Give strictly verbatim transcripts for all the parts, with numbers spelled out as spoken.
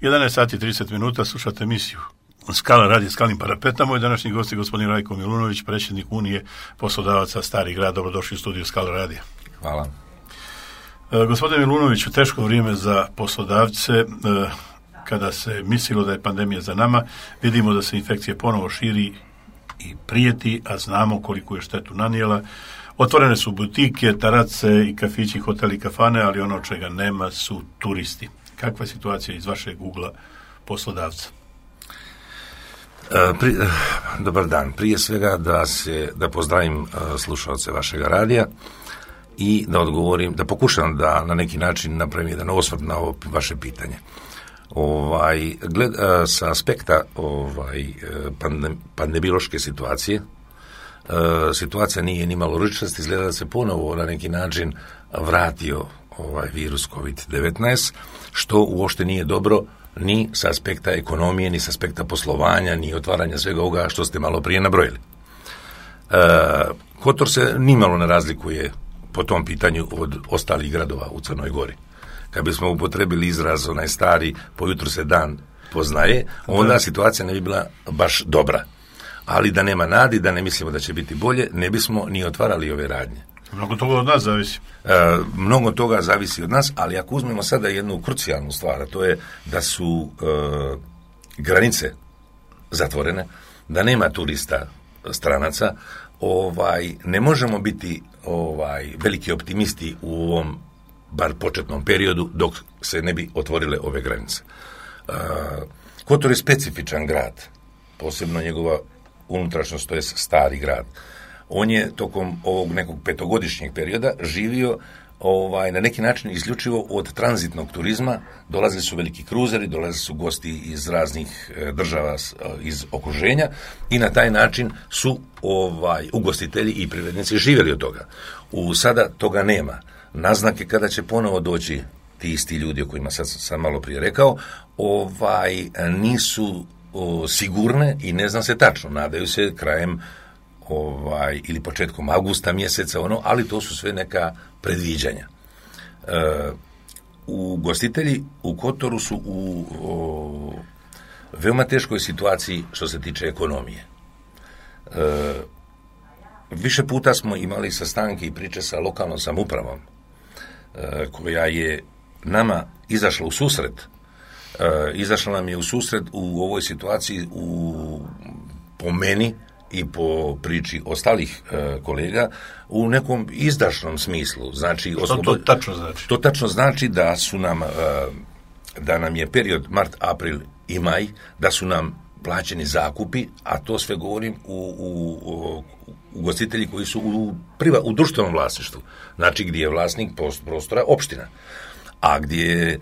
jedanaest sati i trideset minuta, slušate emisiju Skala radi Skalnim parapetom. Moj današnji gost je gospodin Rajko Milunović, predsjednik Unije poslodavaca Stari grad. Dobrodošli u studiju Skala radija. Hvala. E, gospodine Milunoviću, teško vrijeme za poslodavce. E, kada se mislilo da je pandemija za nama, vidimo da se infekcija ponovo širi i prijeti, a znamo koliko je štetu nanijela. Otvorene su butike, tarace i kafići, hoteli i kafane, ali ono čega nema su turisti. Kakva je situacija iz vašeg ugla poslodavca? E, pri, dobar dan. Prije svega da se da pozdravim e, slušalce vašega radija i da odgovorim, da pokušam da na neki način napravim jedan osvrt na ovo vaše pitanje. Ovaj, gled, e, sa aspekta ovaj, pandem, pandemiološke situacije, e, situacija nije ni malo ručast, izgleda da se ponovo na neki način vratio ovaj virus kovid devetnaest, što uopšte nije dobro ni sa aspekta ekonomije, ni sa aspekta poslovanja, ni otvaranja svega ovoga što ste malo prije nabrojili. E, Kotor se nimalo ne razlikuje po tom pitanju od ostalih gradova u Crnoj Gori. Kad bismo upotrebili izraz onaj stari, po jutru se dan poznaje, onda situacija ne bi bila baš dobra. Ali da nema nadi, da ne mislimo da će biti bolje, ne bismo ni otvarali ove radnje. Mnogo toga od nas zavisi. E, mnogo toga zavisi od nas, ali ako uzmemo sada jednu krucijalnu stvar, a to je da su e, granice zatvorene, da nema turista stranaca, ovaj, ne možemo biti ovaj, veliki optimisti u ovom bar početnom periodu dok se ne bi otvorile ove granice. E, Kotor je specifičan grad, posebno njegova unutrašnjost, to je stari grad. On je tokom ovog nekog petogodišnjeg perioda živio ovaj, na neki način isključivo od tranzitnog turizma. Dolazili su veliki kruzeri, dolazili su gosti iz raznih e, država e, iz okruženja i na taj način su ovaj, ugostitelji i privrednici živjeli od toga. U sada toga nema. Naznake kada će ponovo doći ti isti ljudi o kojima sad sam malo prije rekao, ovaj, nisu o, sigurne i ne zna se tačno. Nadaju se krajem ovaj, ili početkom avgusta mjeseca, ono, ali to su sve neka predviđanja. E, ugostitelji u Kotoru su u o, veoma teškoj situaciji što se tiče ekonomije. E, više puta smo imali sastanke i priče sa lokalnom samoupravom, e, koja je nama izašla u susret. E, izašla nam je u susret u ovoj situaciji u, po meni i po priči ostalih e, kolega u nekom izdašnom smislu. Znači, oslobod... to, to tačno znači? To tačno znači da su nam, e, da nam je period mart, april i maj, da su nam plaćeni zakupi, a to sve govorim u, u, u ugostitelji koji su u, priva, u društvenom vlasništvu. Znači, gdje je vlasnik prostora opština. A gdje je, e,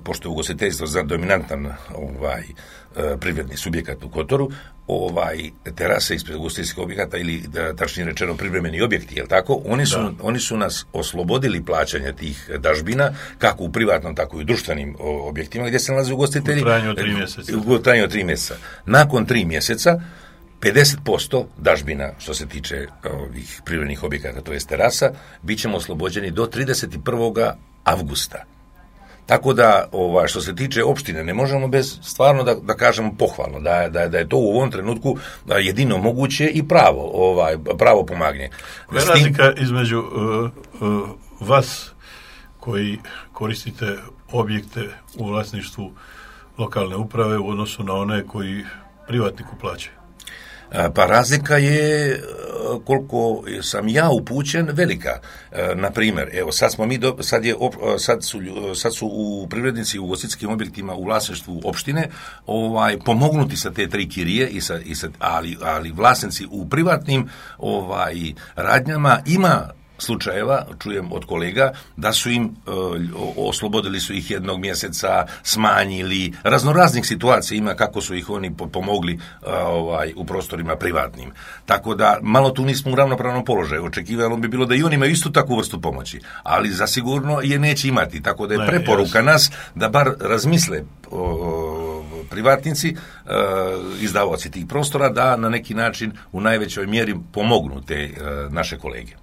pošto je ugostiteljstvo za dominantan ovaj, e, privredni subjekat u Kotoru, ovaj, terase ispred ugostiteljskih objekata ili, da, tačnije rečeno, privremeni objekti, jel tako? Oni su, oni su nas oslobodili plaćanja tih dažbina, kako u privatnom, tako i u društvenim o, objektima gdje se nalaze ugostitelji. U trajanju od tri mjeseca. U trajanju od tri mjeseca. Nakon tri mjeseca, pedeset posto dažbina, što se tiče ovih privrednih objekata, to je terasa, bit ćemo oslobođeni do trideset prvog avgusta. Tako da, ova, što se tiče opštine, ne možemo bez stvarno da, da kažemo pohvalno, da, da, da je to u ovom trenutku jedino moguće i pravo, ovaj, pravo pomagnje. Koja je razlika između uh, uh, vas koji koristite objekte u vlasništvu lokalne uprave u odnosu na one koji privatniku plaćaju? Pa razlika je, koliko sam ja upućen, velika. Na primjer, evo, sad smo mi, do, sad, je, sad, su, sad su u privrednici u ugostiteljskim objektima u vlasništvu opštine ovaj, pomognuti sa te tri kirije, i sa, i sa, ali, ali vlasnici u privatnim ovaj, radnjama ima slučajeva, čujem od kolega, da su im, e, oslobodili su ih jednog mjeseca, smanjili, raznoraznih situacija ima kako su ih oni pomogli a, ovaj, u prostorima privatnim. Tako da, malo tu nismo u ravnopravnom položaju. Očekivalo bi bilo da i oni imaju istu takvu vrstu pomoći, ali zasigurno je neće imati. Tako da je preporuka nas da bar razmisle o, privatnici, e, izdavaoci tih prostora, da na neki način u najvećoj mjeri pomognu te e, naše kolege.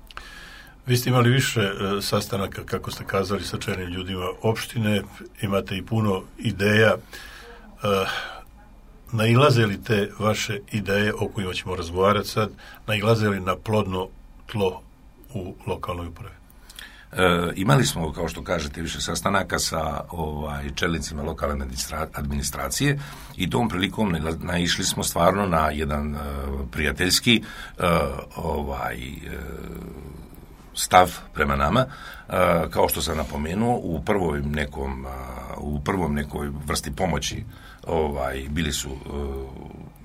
Vi ste imali više e, sastanaka, kako ste kazali, sa čelnim ljudima opštine, imate i puno ideja. E, nailaze li te vaše ideje, o kojima ćemo razgovarati sad, nailaze li na plodno tlo u lokalnoj upravi? E, imali smo, kao što kažete, više sastanaka sa ovaj, čelnicima lokalne administracije i tom prilikom naišli smo stvarno na jedan uh, prijateljski uh, ovaj, uh, stav prema nama. Uh, kao što sam napomenuo, u prvom nekom, uh, u prvom nekoj vrsti pomoći ovaj, bili su uh,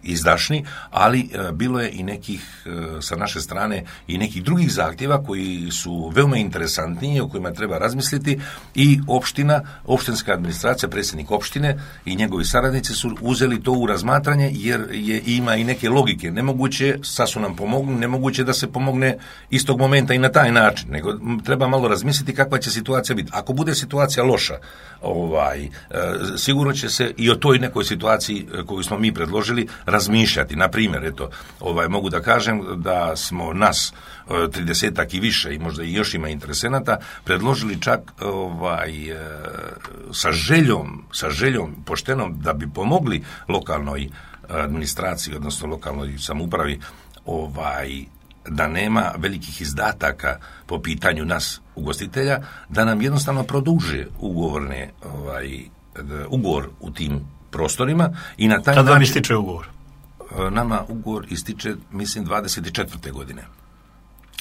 izdašni, ali e, bilo je i nekih e, sa naše strane i nekih drugih zahtjeva koji su veoma interesantniji, o kojima treba razmisliti i opština, opštinska administracija, predsjednik opštine i njegovi saradnici su uzeli to u razmatranje jer je, ima i neke logike. Nemoguće, sad su nam pomogli, nemoguće da se pomogne istog momenta i na taj način, nego treba malo razmisliti kakva će situacija biti. Ako bude situacija loša, ovaj, e, sigurno će se i o toj nekoj situaciji koju smo mi predložili razmišljati. Na primjer, eto, ovaj, mogu da kažem da smo nas tridesetak i više i možda i još ima interesenata predložili čak ovaj, sa željom, sa željom poštenom da bi pomogli lokalnoj administraciji, odnosno lokalnoj samoupravi, ovaj, da nema velikih izdataka po pitanju nas ugostitelja, da nam jednostavno produže ugovorne ovaj, ugovor u tim prostorima i na taj Kada način... vam ističe ugovor? Nama ugovor ističe, mislim, dvadeset četvrte godine.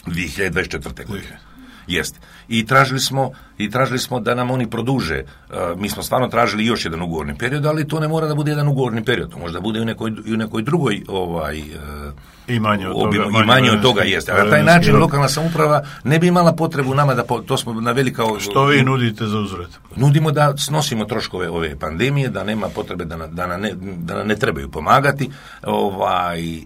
dvije hiljade dvadeset četvrte godine. Jest. I tražili smo, i tražili smo da nam oni produže. Uh, mi smo stvarno tražili još jedan ugovorni period, ali to ne mora da bude jedan ugovorni period. To možda bude i u nekoj, i u nekoj drugoj ovaj, uh, I manje od obimu, toga. I manje od toga jeste. A na taj način lokalna samouprava ne bi imala potrebu nama da, po, to smo naveli kao... Što vi nudite za uzvrat? Nudimo da snosimo troškove ove pandemije, da nema potrebe da, na, da, na ne, da nam ne trebaju pomagati, ovaj... Uh,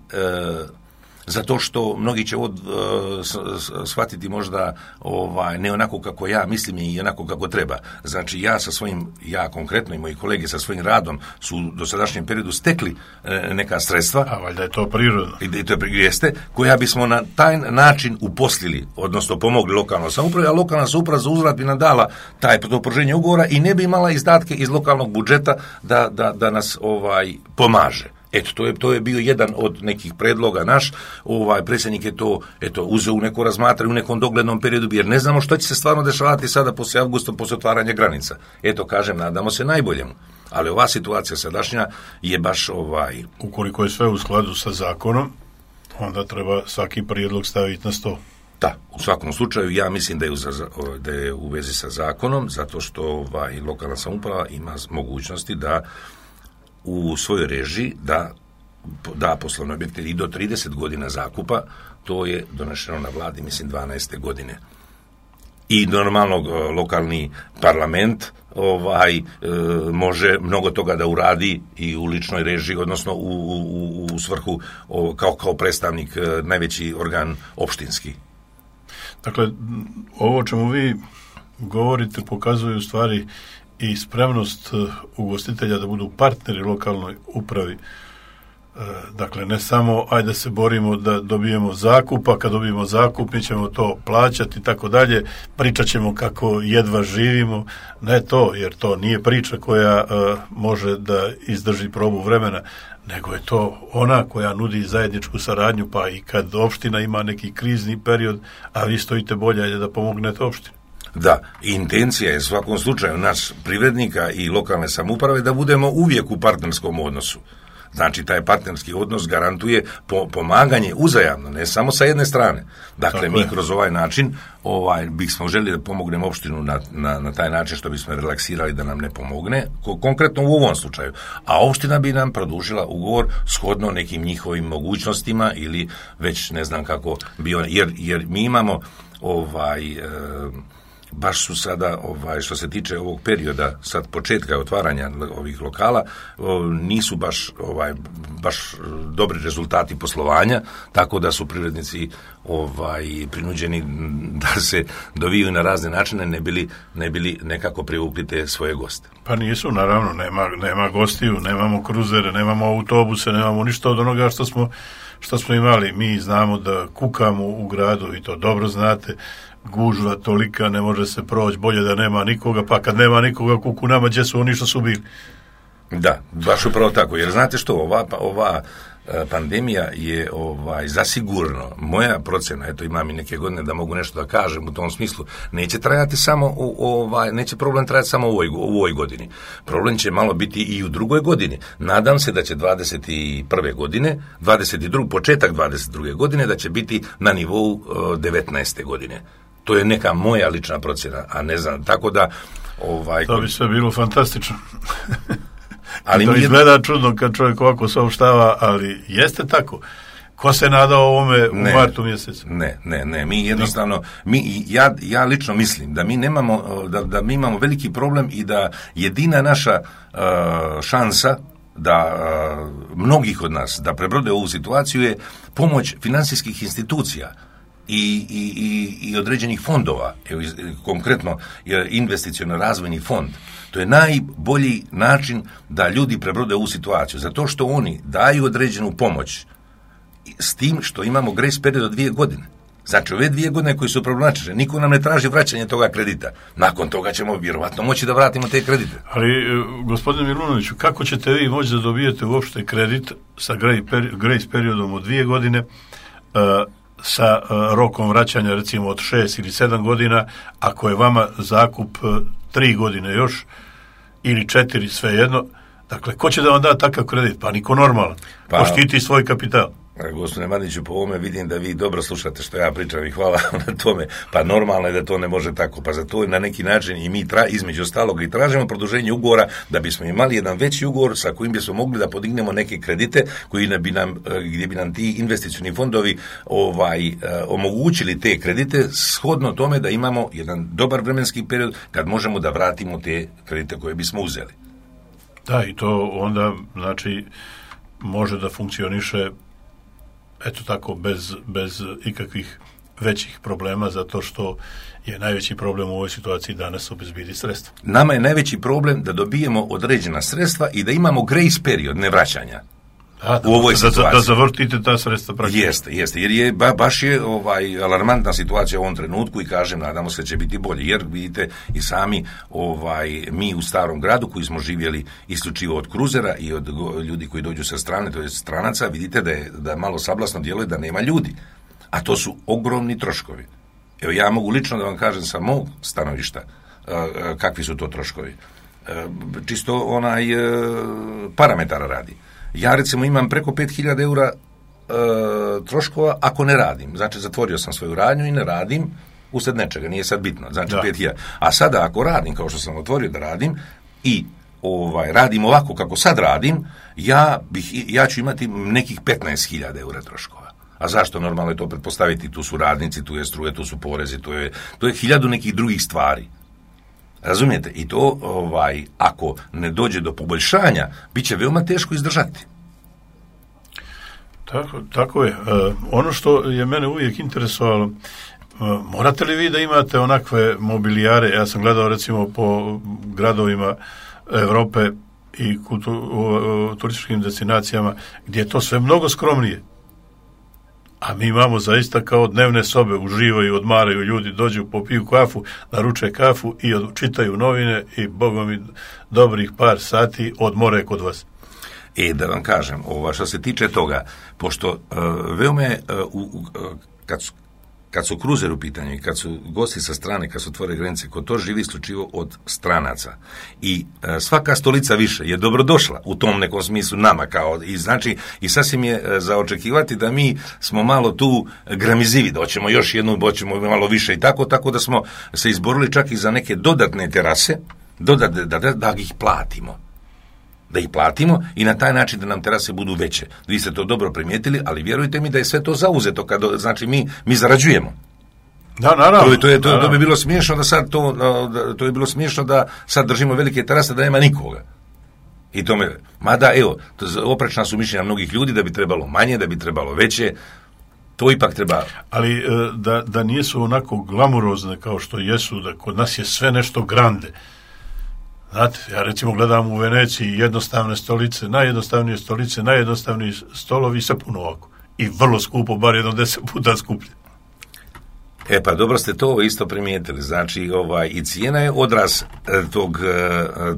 zato što mnogi će od, uh, shvatiti možda ovaj, ne onako kako ja mislim i onako kako treba. Znači ja sa svojim, ja konkretno i moji kolege sa svojim radom su u dosadašnjem periodu stekli e, neka sredstva. A valjda je to prirodno. I to jeste, koja bismo na taj način uposlili, odnosno pomogli lokalnoj samoupravi, a lokalna samouprava za uzvrat bi nam dala taj to pruženje ugovora i ne bi imala izdatke iz lokalnog budžeta da, da, da nas ovaj pomaže. Eto, to je, to je bio jedan od nekih predloga naš, ovaj predsjednik je to eto, uzeo u neko razmatranje u nekom doglednom periodu, jer ne znamo što će se stvarno dešavati sada poslije avgusta, poslije otvaranja granica. Eto, kažem, nadamo se najboljemu. Ali ova situacija sadašnja je baš ovaj... Ukoliko je sve u skladu sa zakonom, onda treba svaki prijedlog staviti na sto. Da, u svakom slučaju ja mislim da je u, da je u vezi sa zakonom, zato što ovaj, lokalna samouprava ima mogućnosti da u svojoj režiji da da poslovne objekte i do trideset godina zakupa, to je donešeno na vladi, mislim, dvanaeste godine. I normalno lokalni parlament ovaj e, može mnogo toga da uradi i u ličnoj režiji, odnosno u, u, u svrhu o, kao, kao predstavnik e, najveći organ opštinski. Dakle, ovo o čemu vi govorite pokazuje u stvari i spremnost ugostitelja da budu partneri lokalnoj upravi. Dakle, ne samo ajde da se borimo da dobijemo zakup, a kad dobijemo zakup mi ćemo to plaćati i tako dalje, pričat ćemo kako jedva živimo. Ne to, jer to nije priča koja uh, može da izdrži probu vremena, nego je to ona koja nudi zajedničku saradnju, pa i kad opština ima neki krizni period, a vi stojite bolje, ajde da pomognete opštini. Da, intencija je u svakom slučaju nas privrednika i lokalne samouprave da budemo uvijek u partnerskom odnosu. Znači, taj partnerski odnos garantuje po, pomaganje uzajamno, ne samo sa jedne strane. Dakle, tako mi je. Kroz ovaj način ovaj, bismo želi da pomognemo opštinu na, na, na taj način što bismo relaksirali da nam ne pomogne, konkretno u ovom slučaju. A opština bi nam produžila ugovor shodno nekim njihovim mogućnostima ili već ne znam kako bio, jer, jer mi imamo ovaj... E, baš su sada, ovaj, što se tiče ovog perioda, sad početka otvaranja ovih lokala, nisu baš, ovaj, baš dobri rezultati poslovanja, tako da su privrednici ovaj, prinuđeni da se doviju na razne načine, ne bili, ne bili nekako privukli te svoje goste. Pa nisu, naravno, nema, nema gostiju, nemamo kruzere, nemamo autobuse, nemamo ništa od onoga što smo što smo imali. Mi znamo da kukamo u gradu i to dobro znate. gužva tolika, ne može se proći, bolje da nema nikoga, pa kad nema nikoga kuku nama, gdje su oni što su bili. Da, baš upravo tako, jer znate što, ova, ova pandemija je ovaj zasigurno, moja procjena, eto imam i neke godine da mogu nešto da kažem u tom smislu, neće trajati samo u, ovaj, neće problem trajati samo u ovoj, u ovoj godini. Problem će malo biti i u drugoj godini. Nadam se da će dvadeset prve godine, dvadeset druge početak dvadeset druge godine da će biti na nivou uh, devetnaeste godine. To je neka moja lična procjena, a ne znam, tako da ovaj to bi sve bilo fantastično. Ali to mi izgleda jedno... čudno kad čovjek ovako saopštava, ali jeste tako. Ko se nadao ovome u ne, martu mjesecu? Ne, ne, ne, mi jednostavno, mi, ja, ja lično mislim da mi nemamo, da, da mi imamo veliki problem i da jedina naša uh, šansa da uh, mnogih od nas da prebrode ovu situaciju je pomoć financijskih institucija i, i, i, i određenih fondova, evo, konkretno investiciono razvojni fond. To je najbolji način da ljudi prebrode ovu situaciju, zato što oni daju određenu pomoć s tim što imamo grace period od dvije godine. Znači, ove dvije godine koji su problematične, niko nam ne traži vraćanje toga kredita. Nakon toga ćemo vjerovatno moći da vratimo te kredite. Ali, gospodine Milunoviću, kako ćete vi moći da dobijete uopšte kredit sa grace periodom od dvije godine, uh, sa uh, rokom vraćanja recimo od šest ili sedam godina, ako je vama zakup uh, tri godine još, ili četiri, svejedno. Dakle, ko će da vam da takav kredit? Pa niko normalan. Pa, ko štiti svoj kapital. Gospodine Mandiću, po ovome vidim da vi dobro slušate što ja pričam i hvala na tome. Pa normalno je da to ne može tako. Pa za to na neki način i mi tra, između ostalog i tražimo produženje ugovora da bismo imali jedan veći ugovor sa kojim bismo mogli da podignemo neke kredite koji ne bi nam, gdje bi nam ti investicioni fondovi ovaj, omogućili te kredite shodno tome da imamo jedan dobar vremenski period kad možemo da vratimo te kredite koje bismo uzeli. Da, i to onda znači može da funkcioniše eto tako, bez, bez ikakvih većih problema, zato što je najveći problem u ovoj situaciji danas obezbediti sredstva. Nama je najveći problem da dobijemo određena sredstva i da imamo grace period nevraćanja. Da, da, u ovoj da, da, da zavrtite ta sredstva praktično. Jeste, jeste, jer je ba, baš je ovaj alarmantna situacija u ovom trenutku i kažem, nadamo se da će biti bolje, jer vidite i sami ovaj mi u Starom gradu koji smo živjeli isključivo od kruzera i od ljudi koji dođu sa strane, to je stranaca, vidite da je da malo sablasno djeluje da nema ljudi, a to su ogromni troškovi. Evo ja mogu lično da vam kažem sa mog stanovišta kakvi su to troškovi. Čisto onaj parametara radi. Ja recimo imam preko pet hiljada eura e, troškova ako ne radim. Znači zatvorio sam svoju radnju i ne radim usred nečega, nije sad bitno. Znači pet hiljada. A sada ako radim kao što sam otvorio da radim i ovaj radim ovako kako sad radim, ja, bih, ja ću imati nekih petnaest hiljada eura troškova. A zašto? Normalno je to pretpostaviti, tu su radnici, tu je struje, tu su porezi, tu je, tu je hiljadu nekih drugih stvari. Razumijete? I to, ovaj, ako ne dođe do poboljšanja, bit će veoma teško izdržati. Tako, tako je. E, ono što je mene uvijek interesovalo, e, morate li vi da imate onakve mobilijare? Ja sam gledao recimo po gradovima Europe i kultu, u, u turističkim destinacijama gdje je to sve mnogo skromnije. A mi imamo zaista kao dnevne sobe, uživaju, odmaraju ljudi, dođu, popiju kafu, naruče kafu i čitaju novine i bogom mi dobrih par sati odmore kod vas. E, da vam kažem, ova, što se tiče toga, pošto uh, veoma je, uh, uh, kad su Kad su kruzer u pitanju i kad su gosti sa strane, kad su otvore granice, ko to živi isključivo od stranaca. I e, svaka stolica više je dobrodošla u tom nekom smislu nama kao i znači i sasvim je e, za očekivati da mi smo malo tu gramizivi, da hoćemo još jednu, hoćemo malo više i tako, tako da smo se izborili čak i za neke dodatne terase, dodat, da, da, da ih platimo. Da ih platimo i na taj način da nam terase budu veće. Vi ste to dobro primijetili, ali vjerujte mi da je sve to zauzeto, kad, znači mi, mi zarađujemo. Da, naravno. To, to, je, to, to bi bilo smiješno da sad to, to je bilo smiješno da sad držimo velike terase da nema nikoga. I to me, mada evo, to, oprečna su mišljenja mnogih ljudi da bi trebalo manje, da bi trebalo veće, to ipak treba. Ali da, da nisu onako glamurozne kao što jesu, da kod nas je sve nešto grande. Znate, ja recimo gledam u Veneciji jednostavne stolice, najjednostavnije stolice, najjednostavniji stolovi, sve puno ovako. I vrlo skupo, bar jedno deset puta skuplje. E pa dobro ste to isto primijetili, znači ovaj, i cijena je odraz tog,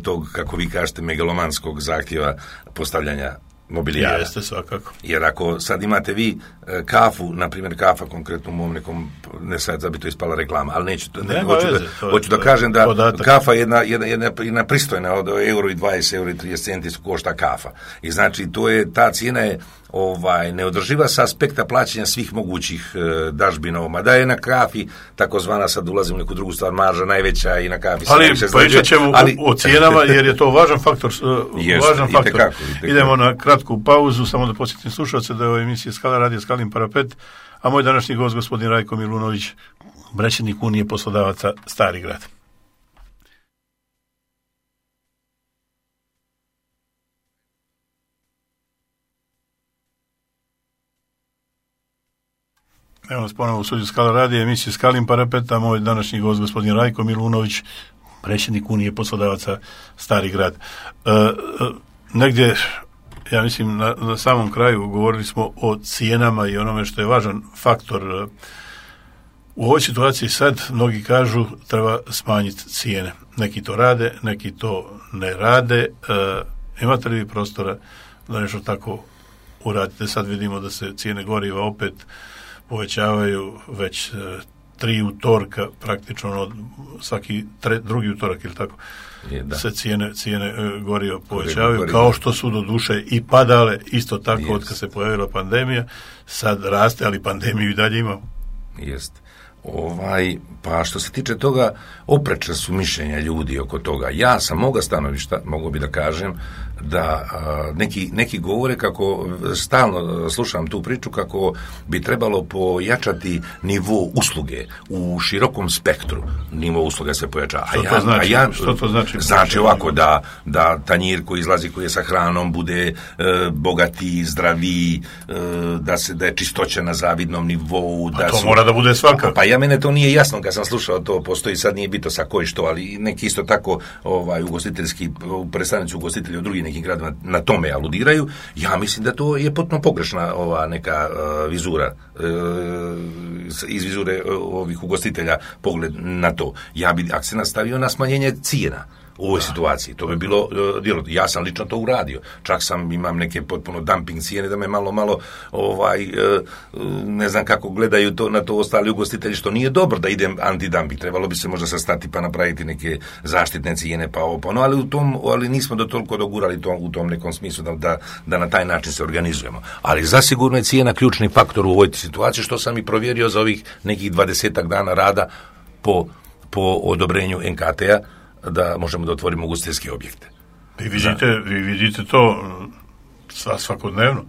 tog, kako vi kažete, megalomanskog zahtjeva postavljanja mobilijara. Jeste, svakako. Jer ako sad imate vi kafu, na primjer kafa konkretno u mom nekom, ne sad da bi to ispala reklama, ali neću, ne, hoću, veze, da, to, hoću to da kažem da podatak. Kafa je jedna, jedna, jedna, jedna pristojna, od euro i dvadeset, euro i trideset centi su košta kafa. I znači to je, ta cijena je ovaj, neodrživa sa aspekta plaćanja svih mogućih e, dažbina, mada je na kafi takozvana, sad ulazim u neku drugu stvar, marža najveća i na kafi. Ali pričat ćemo ali... o cijenama jer je to važan faktor. Jest, važan faktor. Itekako, itekako. Idemo na kratku pauzu, samo da podsjetim slušalce da je ovo emisija Skala radio Skalin parapet, a moj današnji gost gospodin Rajko Milunović, predsjednik Unije poslodavaca Stari Grad. Evo nas ponovno u studiju Skala radija, emisiju Skalin parapet, a moj današnji gost gospodin Rajko Milunović, predsjednik Unije poslodavaca Stari Grad. E, e, negdje, ja mislim, na, na samom kraju govorili smo o cijenama i onome što je važan faktor. U ovoj situaciji sad mnogi kažu treba smanjiti cijene. Neki to rade, neki to ne rade. E, imate li vi prostora da nešto tako uradite? Sad vidimo da se cijene goriva opet povećavaju već e, tri utorka, praktično od svaki tre, drugi utorak ili tako je, da. se cijene, cijene e, goriva povećavaju, goriva. Kao što su do duše i padale, isto tako yes. od kad se pojavila pandemija, sad raste, ali pandemiju i dalje imamo. Jeste. Ovaj, pa što se tiče toga, oprečna su mišljenja ljudi oko toga. Ja sa moga stanovišta, mogu bi da kažem, da a, neki, neki govore kako, stalno slušam tu priču, kako bi trebalo pojačati nivo usluge u širokom spektru. Nivo usluga se pojačava. Što to znači? Ja, što to znači? Znači ovako, da, da tanjir koji izlazi, koji je sa hranom, bude e, bogati, zdraviji, e, da, se, da je čistoća na zavidnom nivou. Pa da to su, mora da bude svakako. Pa ja mene to nije jasno kad sam slušao to, postoji sad, nije bito sa koji što, ali neki isto tako ovaj, ugostiteljski, predstavnici ugostitelji u drugim nekim gradima na tome aludiraju. Ja mislim da to je potpuno pogrešna ova neka uh, vizura, uh, iz vizure uh, ovih ugostitelja pogled na to. Ja bi akcent stavio na smanjenje cijena u ovoj situaciji. To bi bilo uh, djelo. Ja sam lično to uradio. Čak sam, imam neke potpuno dumping cijene da me malo, malo ovaj, uh, ne znam kako gledaju to, na to ostali ugostitelji, što nije dobro da idem antidumping. Trebalo bi se možda sastati pa napraviti neke zaštitne cijene pa ovo, pa no, ali, u tom, ali nismo do toliko dogurali to, u tom nekom smislu da, da, da na taj način se organizujemo. Ali zasigurno je cijena ključni faktor u ovoj situaciji, što sam i provjerio za ovih nekih dvadesetak dana rada po, po odobrenju en ka te a, da možemo da otvorimo ugostiteljske objekte. Vi vidite, vi vidite to svakodnevno.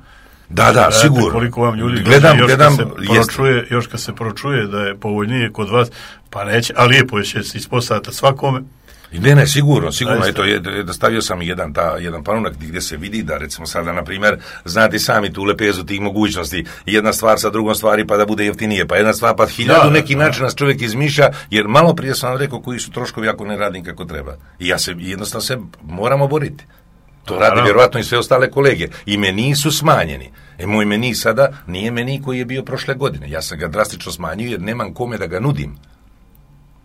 Da, da, gledate sigurno. Koliko vam ljudi gledam, još, gledam, kad se pročuje, još kad se pročuje da je povoljnije kod vas, pa neće, a lijepo je će se ispostaviti svakome. Ne, ne, sigurno, sigurno. Eto, je, da stavio sam jedan, ta, jedan panunak gdje se vidi da, recimo sada, na primjer, znate sami tu lepezu tih mogućnosti, jedna stvar sa drugom stvari pa da bude jeftinije, pa jedna stvar pa hiljadu da, neki da, način nas čovjek izmišlja, jer malo prije sam vam rekao koji su troškovi ako ne radim kako treba. I ja se, jednostavno se moramo boriti. To radi vjerovatno i sve ostale kolege. I meni su smanjeni. E, moj meni sada nije meni koji je bio prošle godine. Ja sam ga drastično smanjio jer nemam kome da ga nudim.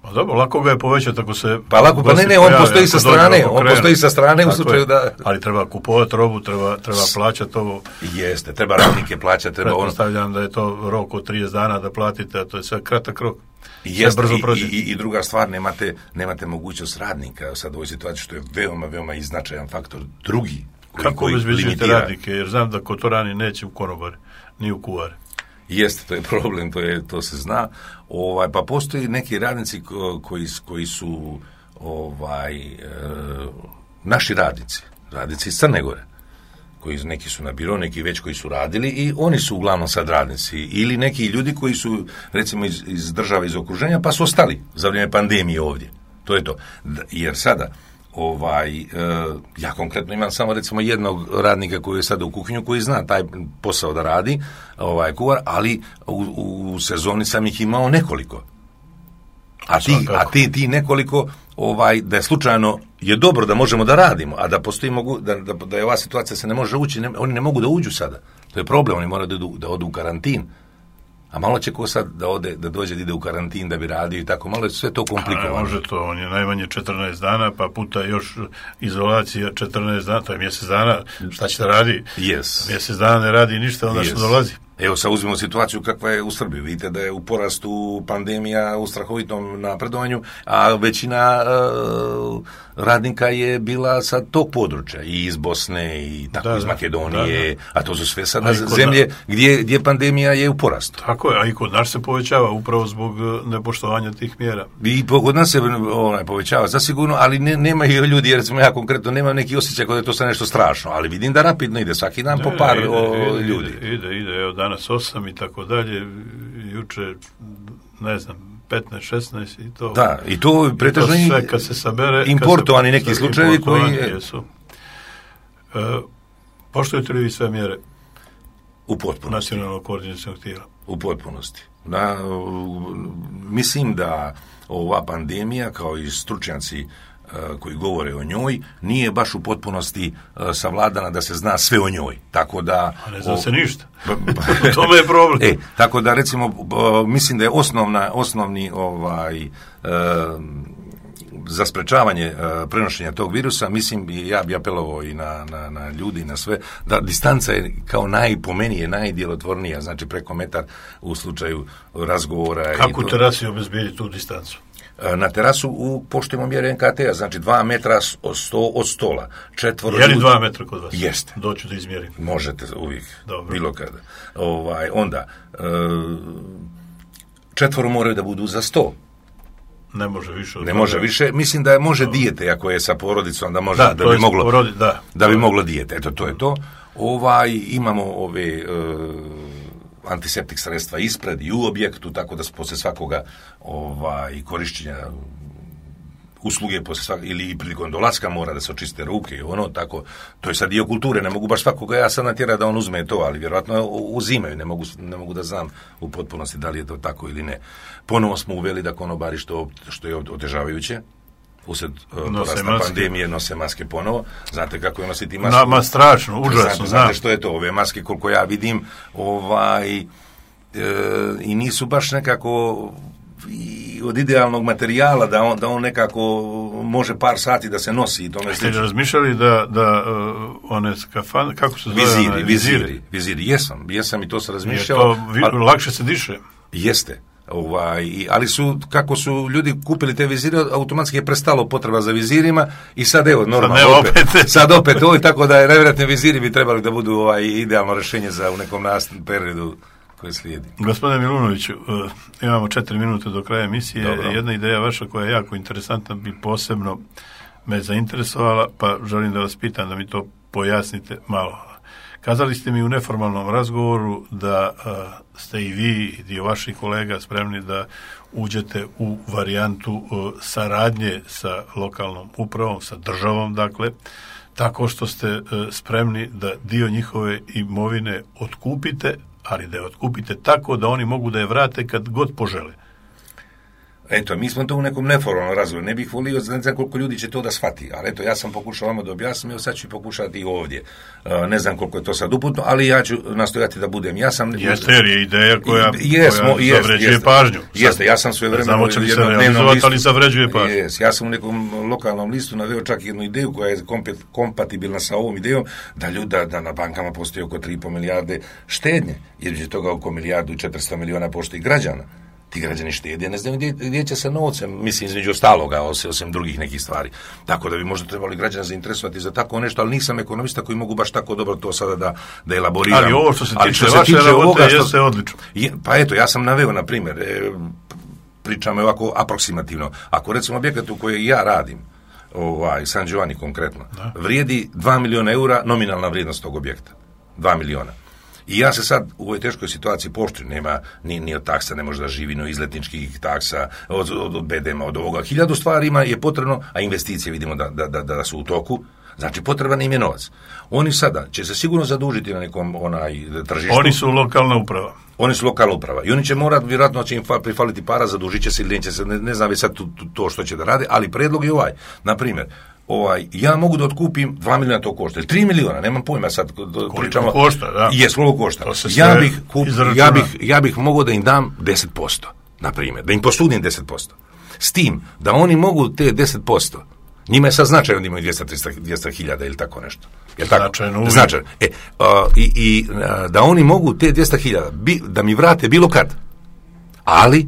Pa dobro, lako ga je povećati ako se... Pa lako, pa ne, ne, on postoji sa strane, on postoji sa strane u slučaju da... Ali treba kupovati robu, treba, treba plaćati ovo... Jeste, treba radnike plaćati, treba ono... Pretpostavljam da je to rok od trideset dana da platite, a to je sve kratak rok. Jeste, i, i, i druga stvar, nemate, nemate mogućnost radnika sad u ovoj situaciji, što je veoma, veoma i značajan faktor. Drugi, koji, kako koji obezbeđujete radnike, jer znam da kotorani neće u konobari, ni u kuvari. Jeste, to je problem, to, je, to se zna. Ovaj, pa postoji neki radnici koji, koji su ovaj, e, naši radnici, radnici iz Crne Gore, koji neki su na biro, neki već koji su radili i oni su uglavnom sad radnici. Ili neki ljudi koji su, recimo, iz, iz države, iz okruženja, pa su ostali za vrijeme pandemije ovdje. To je to. Jer sada... Ovaj, e, ja konkretno imam samo recimo jednog radnika koji je sada u kuhinju, koji zna taj posao da radi, ovaj kuvar, ali u, u sezoni sam ih imao nekoliko. A ti, a ti, ti nekoliko, ovaj, da je slučajno je dobro da možemo da radimo, a da postoji mogu, da, da, da je ova situacija se ne može ući, ne, oni ne mogu da uđu sada. To je problem, oni moraju da, da odu u karantin. A malo će ko sad da ode, da dođe da ide u karantin, da bi radio i tako, malo je sve to komplikovano. A može to, on je najmanje četrnaest dana, pa puta još izolacija četrnaest dana, to je mjesec dana, šta će da radi? Yes. Mjesec dana ne radi ništa, onda yes. što dolazi. Evo sad uzmemo situaciju kakva je u Srbiji. Vidite da je u porastu pandemija, u strahovitom napredovanju, a većina uh, radnika je bila sa tog područja, i iz Bosne, i tako da, iz Makedonije, da, da. A to su sve sada zemlje na... gdje, gdje pandemija je u porastu. Tako je, a i kod nas se povećava upravo zbog nepoštovanja tih mjera. I kod nas se onaj, povećava, zasigurno, ali ne, nema i ljudi, jer recimo ja konkretno nemam neki osjećaj kod je to sad nešto strašno, ali vidim da rapidno ide, svaki dan ne, po par ide, o, ide, ljudi. Ide, ide, ide, evo danas osam i tako dalje, juče, ne znam, petnaest, šesnaest i to. Da, i to pretežno i sve kad se sabere, importovani se, neki slučajevi koji jesu. E, poštujete li vi sve mjere u potpunosti nacionalnog koordinacionog tijela? U potpunosti. Da, mislim da ova pandemija, kao i stručnjaci koji govore o njoj, nije baš u potpunosti savladana da se zna sve o njoj. Tako da... A ne zna o, se ništa. U tome je problem. E, tako da, recimo, mislim da je osnovna, osnovni ovaj... Um, za sprečavanje uh, prenošenja tog virusa, mislim, ja bi apelovao i na, na, na ljudi, na sve, da distanca je kao najpomenije, najdjelotvornija, znači preko metar u slučaju razgovora. Kako i to... terasi obezbijedi tu distancu? Uh, na terasu u poštujemo mjere en ka te a, znači dva metra od, sto, od stola. Četvoro je li dva metra kod vas? Jeste. Doću da izmjerim. Možete uvijek, dobro. Bilo kada. Ovaj, onda, uh, četvoro moraju da budu za sto. Ne može više. Ne može više. Mislim da može no. dijete, ako je sa porodicom, da može da, da bi moglo porodi, da. da bi moglo dijete. Eto, to je to. Ovaj, imamo ove uh, antiseptik sredstva ispred i u objektu, tako da posle svakoga ovaj, korišćenja usluge posle svak, ili prilikom dolaska mora da se očiste ruke i ono, tako, to je sad dio kulture, ne mogu baš svakoga ja sad natjerati da on uzme to, ali vjerojatno uzimaju, ne mogu, ne mogu da znam u potpunosti da li je to tako ili ne. Ponovo smo uveli da konobari, što, što je otežavajuće, usred uh, porasta pandemije, nose maske ponovo. Znate kako je nositi masku? Nama strašno, užasno. Znate, znate što je to? Ove maske, koliko ja vidim, ovaj, e, i nisu baš nekako i od idealnog materijala da on, da on nekako može par sati da se nosi i tome. Ste li razmišljali da, da uh, one skafan, kako se zove? Viziri, one, viziri, viziri, viziri, jesam, jesam i to se razmišljalo. To vi, ali, lakše se diše? Jeste. Ovaj, ali su, kako su ljudi kupili te vizire, automatski je prestalo potreba za vizirima i sad evo, normalno, sad, opet, opet. sad opet ovo, tako da je najvjerojatnije viziri bi trebali da budu ovaj, idealno rješenje za u nekom nastavnom periodu koji slijedi. Gospodine Milunoviću, uh, imamo četiri minute do kraja emisije. Dobro. Jedna ideja vaša koja je jako interesantna bi posebno me zainteresovala, pa želim da vas pitam da mi to pojasnite malo. Kazali ste mi u neformalnom razgovoru da uh, ste i vi i dio vaših kolega spremni da uđete u varijantu uh, saradnje sa lokalnom upravom, sa državom, dakle, tako što ste uh, spremni da dio njihove imovine otkupite, ali da je otkupite tako da oni mogu da je vrate kad god požele. Eto, mi smo to u nekom neformalnom razgovoru. Ne bih volio, ne znam koliko ljudi će to da shvati, ali eto, ja sam pokušao vama da objasnim, evo sad ću pokušati i ovdje. Uh, ne znam koliko je to sad uputno, ali ja ću nastojati da budem. Ja sam... Jeste, jer je ideja koja, jesmo, koja jest, zavređuje jest, pažnju. Jeste, ja sam svoje vremena... Znamo će li se realizovati, ali zavređuje pažnju. Jes, ja sam u nekom lokalnom listu naveo čak jednu ideju koja je kompatibilna sa ovom idejom, da ljuda, da na bankama postoji oko tri i po milijarde štednje, jer će toga oko milijardu i četiristo miliona postoji građana. Ti građani štede, ne znam gdje, gdje će se novcem, mislim, između ostaloga, osim, osim drugih nekih stvari. Tako da bi možda trebali građana zainteresovati za tako nešto, ali nisam ekonomista koji mogu baš tako dobro to sada da, da elaboriram. Ali ovo što se tiče vaše rabote jeste odlično. Je, pa eto, ja sam naveo, na primjer, e, pričam ovako aproksimativno. Ako recimo objekat u kojoj ja radim, ovaj, San Giovanni konkretno, da. Vrijedi dva miliona eura nominalna vrijednost tog objekta. dva miliona. I ja se sad u ovoj teškoj situaciji poštujem, nema ni, ni od taksa, ne može da živi, no izletničkih taksa, od, od, od be de ema, od ovoga. Hiljadu stvarima je potrebno, a investicije vidimo da, da, da, da su u toku, znači potreban im je novac. Oni sada će se sigurno zadužiti na nekom onaj tržištu. Oni su lokalna uprava. Oni su lokalna uprava. I oni će morati, vjerojatno će im prifaliti para, zadužit će se ili neće se, ne, ne znam već sad to, to što će da rade, ali predlog je ovaj. Na primjer, ovaj, ja mogu da otkupim dva miliona, to košta, ili tri miliona, nemam pojma sad, pričamo. Košta, da. Jes, koliko košta. Ja bih, kup, ja, bih, ja bih mogao da im dam deset posto, na primjer, da im posudim deset posto. S tim, da oni mogu te deset posto, njima je sad značajno da imaju dvjesto do trista hiljada ili tako nešto. Je tako? Značajno. Značajno. E, uh, i, i uh, da oni mogu te dvjesto hiljada da mi vrate bilo kad. Ali,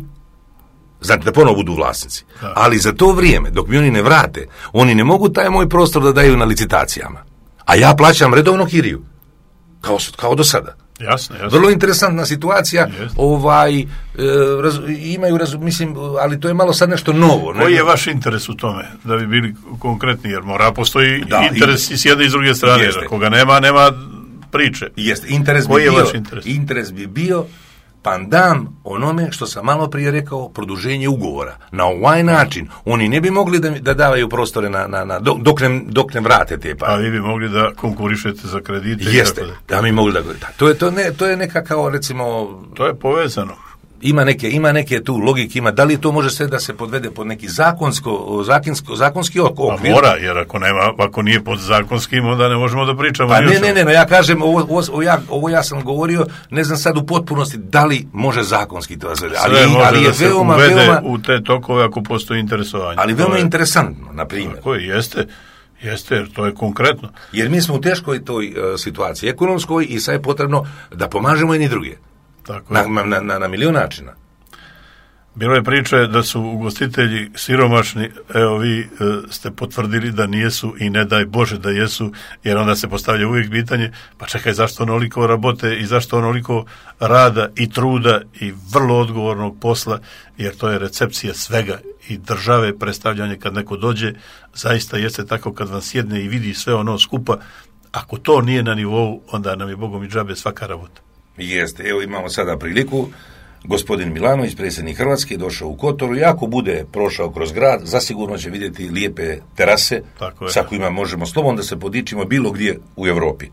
znači da ponovo budu vlasnici. Da. Ali za to vrijeme, dok mi oni ne vrate, oni ne mogu taj moj prostor da daju na licitacijama. A ja plaćam redovno kiriju. Kao, kao do sada. Jasno, jasno. Vrlo interesantna situacija, yes. ovaj, e, raz, imaju, raz, mislim, ali to je malo sad nešto novo. Koji ne? Je vaš interes u tome, da bi bili konkretni, jer mora postoji da, interes i, i s jedne i s druge strane, jer koga nema, nema priče. Jeste, interes Koji bi je bio, vaš interes? Interes bi bio pandam onome što sam malo prije rekao, produženje ugovora. Na ovaj način oni ne bi mogli da, da davaju prostore na, na, na, dok, ne, dok ne vrate te pare. A vi bi mogli da konkurišete za kredite? Jeste, i tako da. Da mi mogli da... da to, je, to, ne, to je neka kao, recimo... To je povezano. Ima neke, ima neke tu logike, ima, da li to može sve da se podvede pod neki zakonsko, zakonsko, zakonski okvir? Pa mora, jer ako nema, ako nije pod zakonskim, onda ne možemo da pričamo. Pa ne, ne, ne, no ja kažem, ovo, ovo, ja, ovo ja sam govorio, ne znam sad u potpunosti da li može zakonski to sve, ali, sve može ali je da se veoma, uvede veoma, u te tokove ako postoji interesovanje. Ali veoma je interesantno, na primjer. Tako je, jeste. Jeste, jer to je konkretno. Jer mi smo u teškoj toj uh, situaciji ekonomskoj i sad je potrebno da pomažemo jedni druge. Tako na, na, na, na milion načina. Bilo je priče da su ugostitelji siromašni, evo vi e, ste potvrdili da nijesu i ne daj Bože da jesu, jer onda se postavlja uvijek pitanje, pa čekaj, zašto onoliko rabote i zašto onoliko rada i truda i vrlo odgovornog posla, jer to je recepcija svega i države, predstavljanje kad neko dođe, zaista jeste tako kad vam sjedne i vidi sve ono skupa, ako to nije na nivou, onda nam je Bogom i džabe svaka rabota. Jeste, evo imamo sada priliku. Gospodin Milanović, predsjednik Hrvatske, došao u Kotoru i ako bude prošao kroz grad, zasigurno će vidjeti lijepe terase sa kojima možemo slobodno da se podičimo bilo gdje u Europi.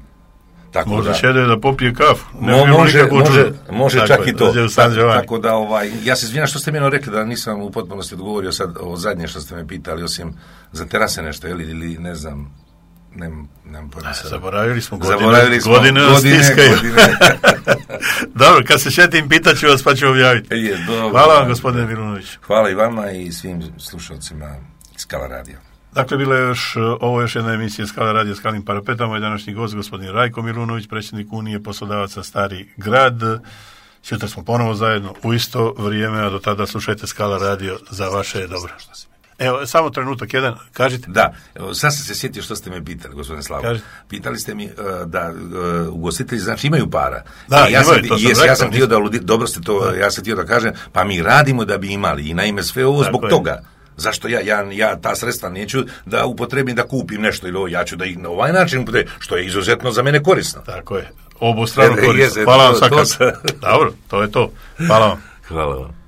Tako može da šede da popije kafu. Ne mo, može, može, može čak je, i to. Tako, tako da, ovaj, ja se izvinjam što ste mi rekli da nisam u potpunosti odgovorio sad o zadnje što ste me pitali, osim za terase nešto, ili, ili ne znam, nemam, nemam pojma sada. Zaboravili smo godine. Zaboravili smo godine, godine, godine. Dobro, kad se šetim, pitaću vas pa ću objaviti. Je, dobro, hvala vam, gospodine Milunović. Hvala i vama i svim slušalcima Skala radija. Dakle, bila je još, ovo je još jedna emisija Skala radija Skalim parapetama. Moj današnji gost, gospodin Rajko Milunović, predsjednik Unije poslodavaca Stari grad. Sutra smo ponovo zajedno u isto vrijeme, a do tada slušajte Skala radio za vaše dobro. Evo, samo trenutak jedan, kažite. Da, evo, sad sam se sjetio što ste me pitali, gospodine Slavo. Kažite. Pitali ste mi uh, da uh, ugostitelji, znači, imaju para. Da, ja imaju, sam, to sam jes, rekao. Ja sam htio da, dobro ste to, da. ja sam htio da kažem, pa mi radimo da bi imali i naime sve ovo zbog Tako toga. Je. Zašto ja, ja, ja ta sredstva neću da upotrebim da kupim nešto ili ovo, ja ću da ih na ovaj način upotrebim, što je izuzetno za mene korisno. Tako je, obostrano korisno. Hvala vam svakako. Dobro, to je to. Hvala vam. Hvala vam.